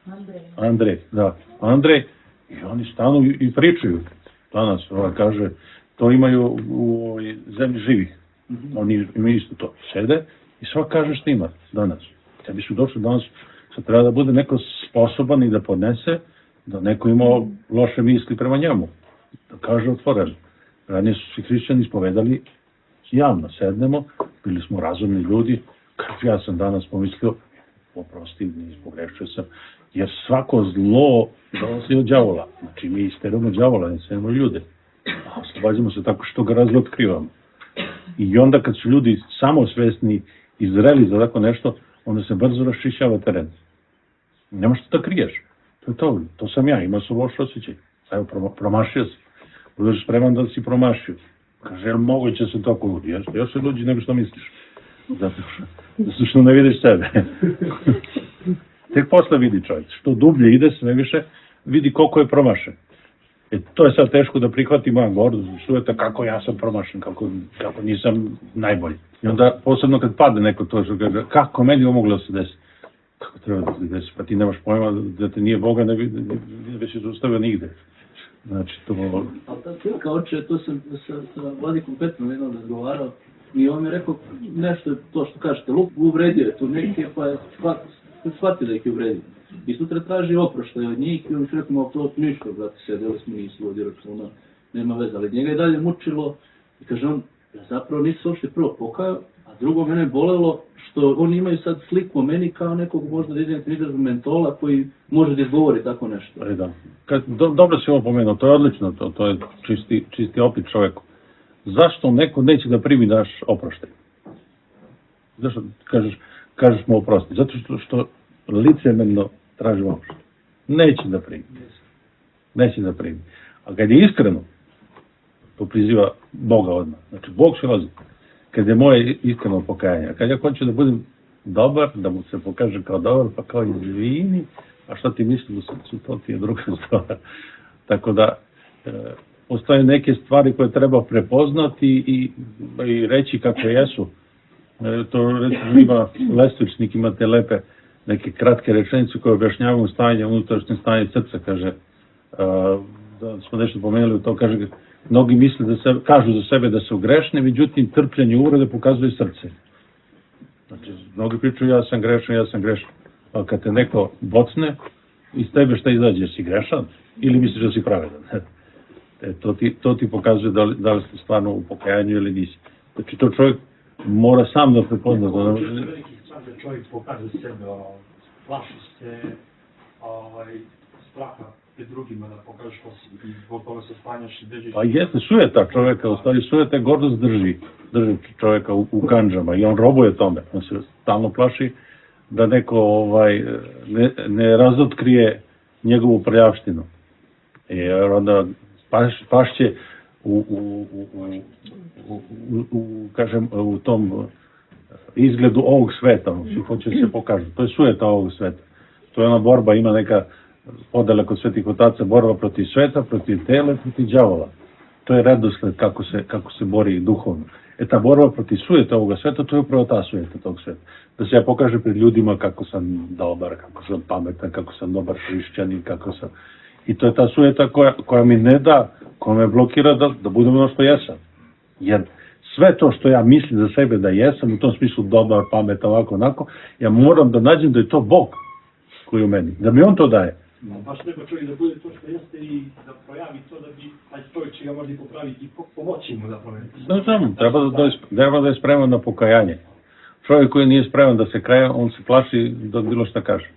Andrej. Andrej, da. Andrej, i oni stanu i pričaju. Danas, ovaj kaže, to imaju u ovoj zemlji živih. Oni imaju isto to. Sede i svak kaže što ima danas. Tebi su došli danas, sad treba da bude neko sposoban i da podnese, da neko imao loše misli prema njemu. Da kaže otvoreno. Ranije su svi hrišćani ispovedali javno. Sednemo, bili smo razumni ljudi. Kako ja sam danas pomislio, oprosti, pogrešio sam, jer svako zlo dolazi od đavola. Znači mi isteramo đavola, ne isteramo ljude. A oslobađamo se tako što ga razotkrivamo. I onda kad su ljudi samosvesni i zreli za tako nešto, onda se brzo raščišćava teren. Nema što da kriješ. To je to, to sam ja, imao sam loš osjećaj. Evo, promašio sam. Budeš spreman da si promašio. Kaže, jel moguće se tako ludi? Jeste, još se luđi nego što misliš. Zato što, zato što ne vidiš sebe. Tek posle vidi čovjek. Što dublje ide, sve više vidi koliko je promašen. E, to je sad teško da prihvati moja gordost, sujeta kako ja sam promašen, kako, kako nisam najbolji. I onda, posebno kad padne neko to, što kaže, kako meni ovo moglo da se desi? Kako treba da se desi? Pa ti nemaš pojma da te nije Boga, ne bi, ne bi se zaustavio nigde. Znači, to... Ali ta slika oče, to sam sa, sa Vladikom Petrom jednom razgovarao i on mi je rekao nešto, to što kažete, Luk uvredio je tu neke, pa je shvatio da ih je uvredio. I sutra traži oproštaj od njih i on mi rekao, to ništa, brate, sedeli smo, nisu vodi računa, nema veze, ali njega je dalje mučilo i kaže on, Ja zapravo nisu uopšte prvo pokajao, a drugo mene bolelo što oni imaju sad sliku o meni kao nekog možda da idem izrazu mentola koji može da izgovori tako nešto. Ali da. Kad, do, dobro si ovo pomenuo, to je odlično, to, to je čisti, čisti opet čoveku. Zašto neko neće da primi naš oproštaj? Zašto kažeš, kažeš mu oprosti? Zato što, što licemerno traži oproštaj. Neće da primi. Neće da primi. A kad je iskreno, to priziva Boga odmah. Znači, Bog se lazi. Kad je moje iskreno pokajanje. A kad ja hoću da budem dobar, da mu se pokaže kao dobar, pa kao izvini, a šta ti misli u srcu, to ti je druga stvar. Tako da, e, postoje neke stvari koje treba prepoznati i, i reći kako jesu. E, to recimo ima Lestvičnik, imate lepe neke kratke rečenice koje objašnjavaju stanje, unutrašnje stanje srca, kaže, a, da smo nešto pomenuli u to, kaže, mnogi misle da se, kažu za sebe da su grešni, međutim trpljenje i uvrede pokazuje srce. Znači, mnogi pričaju ja sam grešan, ja sam grešan. A kad te neko bocne, iz tebe šta izađe, si grešan ili misliš da si pravedan? E, to, ti, to ti pokazuje da li, da li ste stvarno u pokajanju ili nisi. Znači, to čovjek mora sam da prepozna. Da... Veliki stvar da čovjek pokaže sebe, plaši se ovaj, straha pred drugima da pokažeš ko si i zbog toga se stanjaš i bežiš. Pa jeste, sujeta čovjeka, u stvari sujeta gordost drži, drži čovjeka u, u kanđama i on robuje tome. On se stalno plaši da neko ovaj, ne, ne razotkrije njegovu prljavštinu. Jer onda paš, pašće u, u, u, u, u, u, kažem, u tom izgledu ovog sveta, svi hoće se pokažu. To je sujeta ovog sveta. To je ona borba, ima neka podela kod svetih otaca, borba protiv sveta, protiv tela, protiv đavola. To je redosled kako se, kako se bori duhovno. E ta borba protiv sujeta ovoga sveta, to je upravo ta sujeta tog sveta. Da se ja pokaže pred ljudima kako sam dobar, kako sam pametan, kako sam dobar hrišćanin, kako sam... I to je ta sujeta koja, koja mi ne da, koja me blokira da, da budem ono što jesam. Jer sve to što ja mislim za sebe da jesam, u tom smislu dobar, pametan, ovako, onako, ja moram da nađem da je to Bog koji u meni, da mi on to daje. No, baš treba čovjek da bude to što jeste i da projavi to da bi taj čovjek će ga možda i popraviti i pomoći mu da promeni. Znači, znam, treba da, da je, treba da je spreman na pokajanje. Čovjek koji nije spreman da se kaje, on se plaši da bilo šta kaže.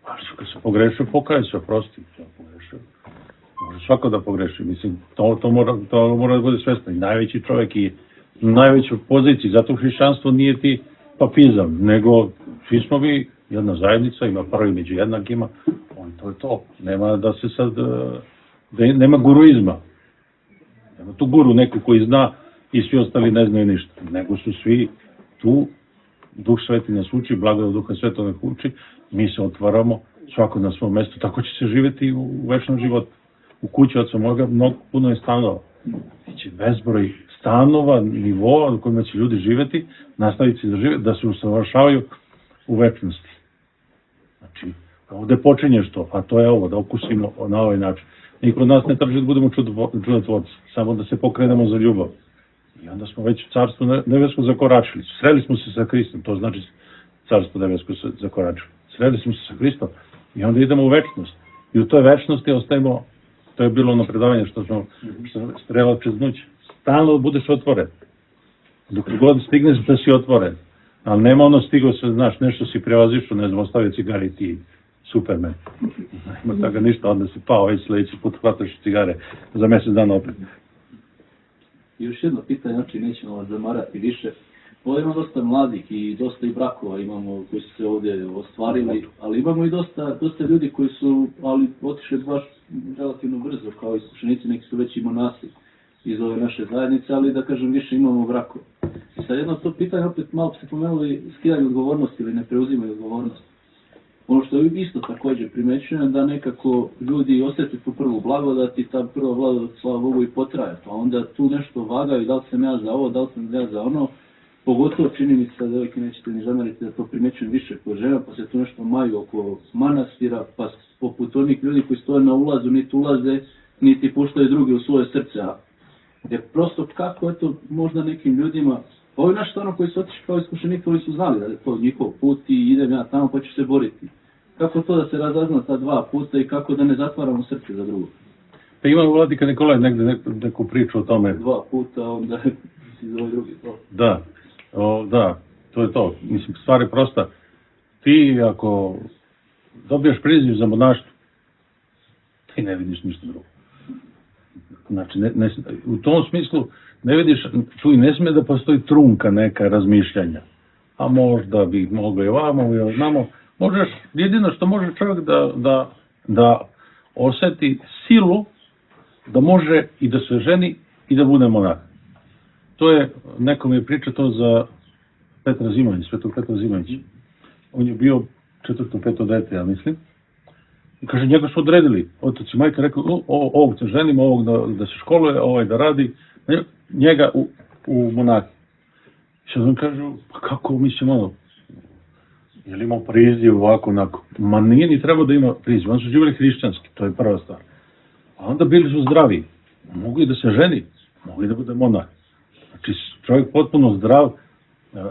A kad se pogrešio, pokaje se, oprosti. Pogrešio. Može svako da pogreši. Mislim, to, to, mora, to mora da bude svesno. I najveći čovjek i najvećoj poziciji. Zato hrišćanstvo nije ti papizam, nego svi smo vi jedna zajednica, ima prvi među jednakima, on to je to. Nema da se sad, da nema guruizma. Nema tu guru neko koji zna i svi ostali ne znaju ništa. Nego su svi tu, Duh Sveti nas uči, blagodat Duha Svetog nas uči, mi se otvaramo, svako na svom mjestu, tako će se živjeti u večnom životu. U kući od samoga mnogo puno je stanova. Biće bezbroj stanova, nivoa u kojima će ljudi živjeti, nastaviti da žive, da se usavršavaju u večnosti. Znači, ovdje počinješ to, a to je ovo, da okusimo na ovaj način. Niko od nas ne traži da budemo čudotvorci, samo da se pokrenemo za ljubav. I onda smo već u carstvu nebesko zakoračili. Sreli smo se sa Hristom, to znači carstvo nebesko zakoračili. Sreli smo se sa Hristom i onda idemo u večnost. I u toj večnosti ostajemo, to je bilo ono predavanje što smo strela čez noć, stalno budeš otvoren. Dok god stigneš da si otvoren. Ali nema ono stigo se, znaš, nešto si prevazišao, ne znam, ostavio cigari ti Superman. Ima toga ništa, onda si pao, već sljedeći put hvataš cigare za mjesec dana opet. I još jedno pitanje, znači nećemo vas zamarati više. Ovdje ima dosta mladih i dosta i brakova imamo koji su se ovdje ostvarili, ali imamo i dosta, dosta ljudi koji su ali otišli baš relativno brzo, kao iskušenici, neki su već i monasi iz ove naše zajednice, ali da kažem više imamo brakova. I sad jedno to pitanje, opet malo se pomenuli skidanje odgovornosti ili ne preuzimaju odgovornost. Ono što je isto također primećujem da nekako ljudi osjeti tu prvu blagodat i ta prva blagodat, slava Bogu, i potraje. Pa onda tu nešto vagaju, da li sam ja za ovo, da li sam ja za ono. Pogotovo čini mi se da devojke nećete ni zameriti da to primećujem više kod žena, pa se tu nešto maju oko manastira, pa poput onih ljudi koji stoje na ulazu, niti ulaze, niti puštaju drugi u svoje srce. Jer prosto kako, eto, možda nekim ljudima, ovi naši stvarno koji su otišli kao iskušenik, koji su znali da je to njihov put i idem ja tamo pa ću se boriti. Kako to da se razazna ta dva puta i kako da ne zatvaramo srce za drugo? Pa ima Vladika Nikolaj negde neku, neku priču o tome. Dva puta, onda... si za ovaj drugi to. Da, o, da, to je to. Mislim, stvar je prosta. Ti ako dobiješ priziv za monaštvo, ti ne vidiš ništa drugo. Znači, ne, ne, u tom smislu ne vidiš, tu i ne smije da postoji trunka neka razmišljanja. A možda bi moglo i ovamo i ovamo. Možeš, jedino što može čovjek da, da, da osjeti silu da može i da se ženi i da bude monah. To je, neko mi je pričao to za Petra Zimanić, Svetog Petra Zimanić. On je bio četvrto, peto dete, ja mislim. I kaže, njega su odredili. Otac i majka rekao, o, ovog se ženimo, ovog da, da se školuje, ovaj da radi, njega u, u monaki. I sad on kaže, pa kako mislim ono, je li imao priziv ovako, onako? Ma nije ni trebao da ima priziv, oni su živjeli hrišćanski, to je prva stvar. A onda bili su zdravi, mogli da se ženi, mogli da bude monah. Znači čovjek potpuno zdrav,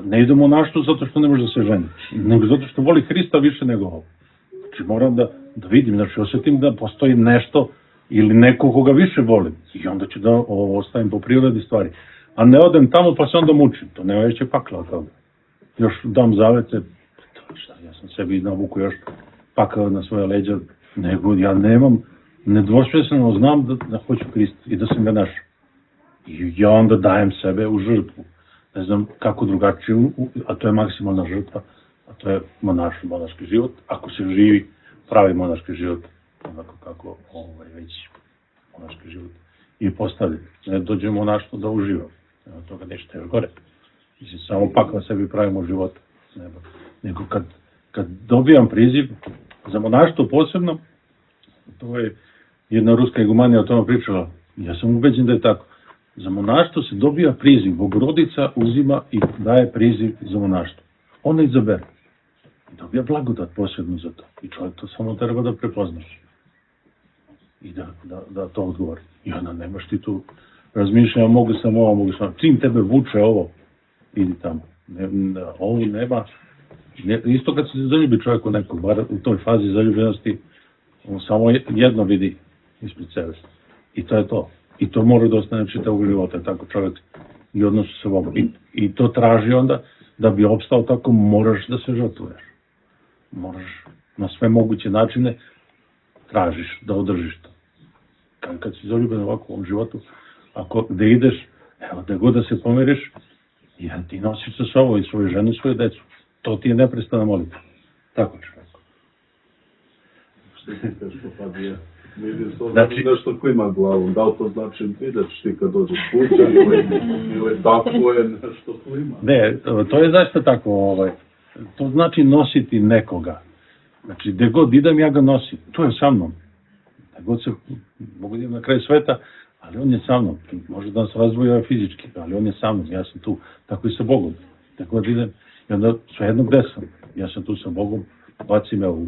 ne ide u monaštvo zato što ne može da se ženi, nego zato što voli Hrista više nego ovo. Znači moram da, da vidim, znači osjetim da postoji nešto ili neko koga više volim i onda ću da ovo ostavim po prirodi stvari. A ne odem tamo pa se onda mučim, to nema veće pakla od toga. Još dam zavete, šta, ja sam sebi navuku još pakao na svoje leđa, nego ja nemam, nedvosmisleno znam da, da hoću Hrista i da sam ga našao. I ja onda dajem sebe u žrtvu. Ne znam kako drugačije, a to je maksimalna žrtva, a to je monaški, monaški život, ako se živi pravi monaški život, onako kako ovaj, već monaški život i postavljen. Ne dođe monaštvo da uživa, nema toga nešto još gore. Mislim, samo pakla sebi pravimo život. Nego, nego kad, kad dobijam priziv za monaštvo posebno, to je jedna ruska igumanija o tome pričala, ja sam ubeđen da je tako. Za monaštvo se dobija priziv, Bogorodica uzima i daje priziv za monaštvo. Ona izabere. I dobija blagodat posebno za to. I čovjek to samo treba da prepoznaš. I da, da, da to odgovori. I onda nemaš ti tu razmišljanja, mogu sam ovo, mogu sam. Čim tebe vuče ovo, idi tamo. Ne, ne, ovo nema. Ne, isto kad se zaljubi čovjek u nekog, bar u toj fazi zaljubljenosti, on samo jedno vidi ispred sebe. I to je to. I to mora da ostane čitavog života, tako čovjek i odnosu sa Bogom. I, I to traži onda, da bi opstao tako, moraš da se žrtvuješ. Moraš na sve moguće načine tražiš da održiš to. Kad, kad si zaljubljen ovako u ovom životu, ako gde ideš, evo, gde god da se pomiriš, ja, ti nosiš sa sobom i svoju ženu i svoju decu. To ti je neprestana molitva. Tako čovjek. Što ti teško pa je? Vidim to znači, nešto klima glavom, da li to znači ideš ti kad dođeš kuća ili, ili tako je nešto klima? Ne, to je zaista tako, ovaj, to znači nositi nekoga. Znači, gde god idem, ja ga nosim, to je sa mnom. Gde god se, mogu idem na kraj sveta, ali on je sa mnom. Može da nas razvoja fizički, ali on je sa mnom, ja sam tu, tako i sa Bogom. Gde god idem, i onda svejedno gde sam, ja sam tu sa Bogom, baci me u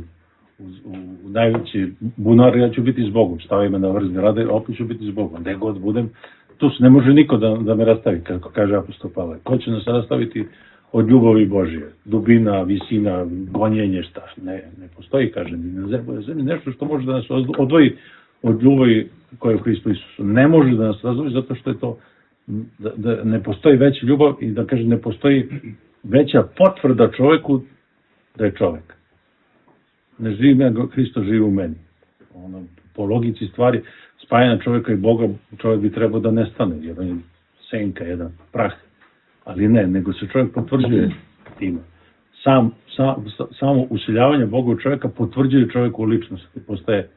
U, u, u najveći bunar, ja ću biti s Bogom, stavi me na vrzni rade, opet ću biti s Bogom, gde god budem, tu se ne može niko da, da me rastavi, kako kaže apostol Pavle. Ko će nas rastaviti od ljubavi Božije? Dubina, visina, gonjenje, šta? Ne, ne postoji, kaže, na zemlji nešto što može da nas odvoji od ljubavi koja je u Hristu Isusu. Ne može da nas razdvoji zato što je to, da, da ne postoji veća ljubav i da kaže ne postoji veća potvrda čoveku da je čovek. Ne živim ja, Hristo živi u meni. Ono, po logici stvari, spajanja čovjeka i Boga, čovjek bi trebao da nestane, jer on je senka, jedan prah. Ali ne, nego se čovjek potvrđuje time. Sam, sam, samo usiljavanje Boga u čovjeka potvrđuje čovjeku ličnost i postaje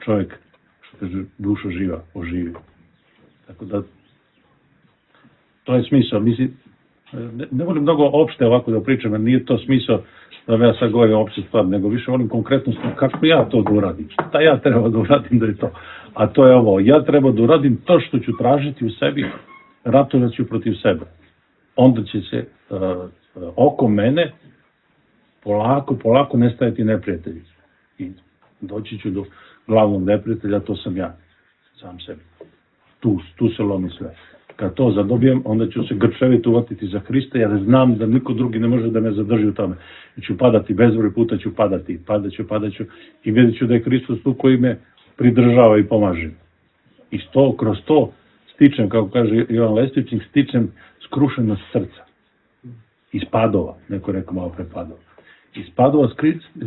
čovjek, što kaže, duša živa, oživi. Tako da, to je smisao. Mislim, ne, ne volim mnogo opšte ovako da pričam, jer nije to smisao da ja sad govorim opšte stvar, nego više volim konkretno kako ja to da uradim, šta ja treba da uradim da je to. A to je ovo, ja treba da uradim to što ću tražiti u sebi, ratovat ću protiv sebe. Onda će se uh, oko mene polako, polako nestajati neprijatelji. I doći ću do glavnog neprijatelja, to sam ja, sam sebi. Tu, tu se lomi sve. Kad to zadobijem, onda ću se grčevito uvatiti za Hrista, jer znam da niko drugi ne može da me zadrži u tome. I ću padati, bezbroj puta ću padati, padat ću, padat ću i vidjet ću da je Hristos tu koji me pridržava i pomaže. I to, kroz to stičem, kako kaže Jovan Lestičnik, stičem skrušenost srca. Iz padova, neko rekao malo pre padova. Iz padova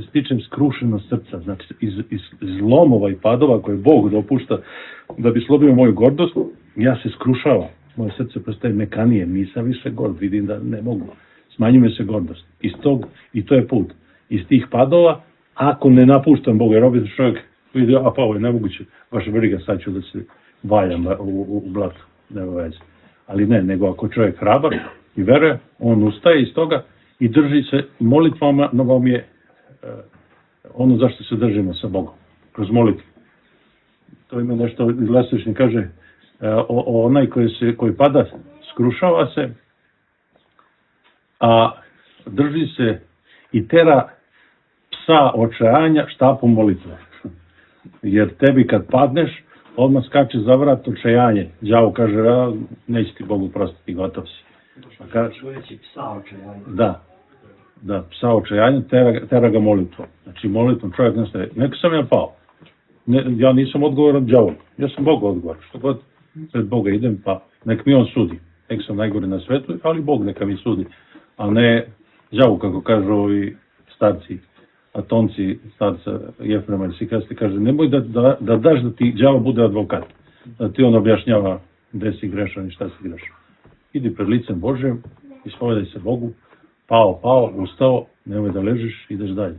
stičem skrušenost srca, znači iz, iz zlomova i padova koje Bog dopušta da bi slobio moju gordost, ja se skrušavam. Moje srce postaje mekanije, nisam više gord, vidim da ne mogu. Smanjuje se gordost. Iz tog, i to je put. Iz tih padova, ako ne napuštam Boga, jer obično čovjek vidi, a pa ovo je nemoguće, vaša briga, sad ću da se valjam u, u, u blatu, nema veze. Ali ne, nego ako čovjek hrabar i veruje, on ustaje iz toga i drži se molitvama, no vam je uh, ono zašto se držimo sa Bogom, kroz molitvu. To ima nešto, Lestičnik kaže, uh, o, o onaj koji, se, koji pada, skrušava se, a drži se i tera psa očajanja štapom molitve. Jer tebi kad padneš, odmah skače za vrat očajanje. Đavo kaže, a, neće ti Bogu prostiti, gotov si. A kaže, psa očajanja. Da, da, psa očajanja, tera, tera ga molitvom. Znači molitvom čovjek nastaje. Neka sam ja pao. Ne, ja nisam odgovoran đavogu. Ja sam Bogu odgovoran. Što god pred Boga idem, pa nek mi on sudi. Nek sam najgore na svetu, ali Bog neka mi sudi. A ne đavo, kako kažu ovi starci, atonci, starca Jefrema i Sikasti, kaže, nemoj da, da, da daš da ti đavo bude advokat. Da ti on objašnjava gde si grešan i šta si grešan. Idi pred licem Božjem, ispovedaj se Bogu, pao, pao, ustao, nemoj da ležiš, ideš dalje.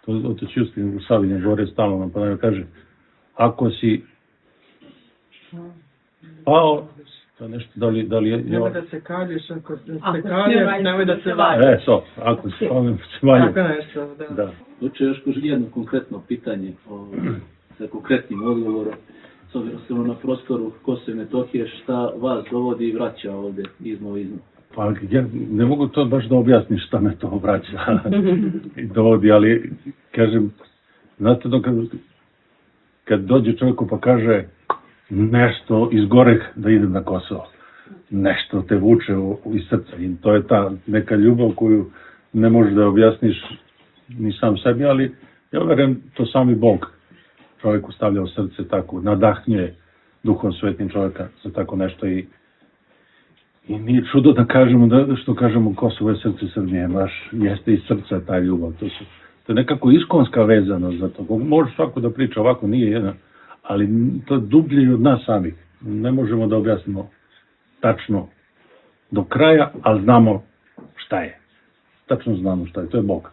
To otac Justin u Savinje gore stalno nam pa kaže, ako si pao, to nešto, da li, da li je... Nemoj da se kalješ, ako se kalješ, nemoj da se valjaš. E, so, ako si pao, nemoj da se valjaš. Tako nešto, da. Da. Hoće još jedno konkretno pitanje o, sa konkretnim odgovorom. S obzirom na prostoru Kosova i Metohije, šta vas dovodi i vraća ovdje iz Novizma? Pa ja ne mogu to baš da objasnim šta me to vraća i dovodi, ali kažem, znate dok kad, kad dođe čovjeku pa kaže nešto iz goreh da idem na Kosovo, nešto te vuče u, u, iz srca i to je ta neka ljubav koju ne možeš da objasniš ni sam sebi, ali ja verujem to sami Bog čovjeku stavlja u srce tako, nadahnjuje Duhom Svetim čovjeka za tako nešto i I nije čudo da kažemo, da, što kažemo Kosovo je srce Srbije, baš jeste iz srca ta ljubav. To, su, to je nekako iskonska vezanost za to. Može svako da priča ovako, nije jedan, ali to je dublje od nas samih. Ne možemo da objasnimo tačno do kraja, ali znamo šta je. Tačno znamo šta je, to je Bog.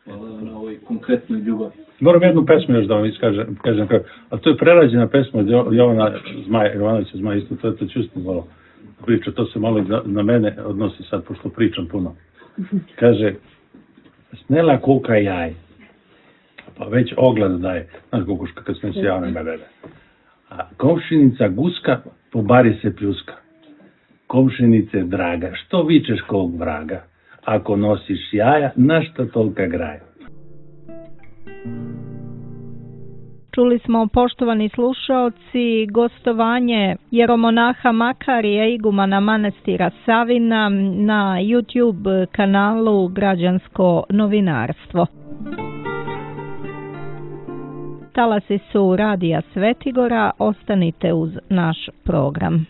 Hvala na ovoj konkretnoj ljubavi. Moram jednu pesmu još da vam iskažem, kažem, a to je prerađena pesma od Jovana Zmaja, Jovanovića Zmaja, isto to je to čustim malo priča, to se malo i na mene odnosi sad, pošto pričam puno. Kaže, snela kuka jaj, pa već ogled daje, znaš kukuška kad smo se javne bebebe, a komšinica guska, po bari se pljuska. Komšinice draga, što vičeš kog vraga? Ako nosiš jaja, na šta tolika graja? Čuli smo, poštovani slušaoci, gostovanje jeromonaha Makarija, igumana manastira Savina na YouTube kanalu Građansko novinarstvo. Talasi su Radija Svetigora, ostanite uz naš program.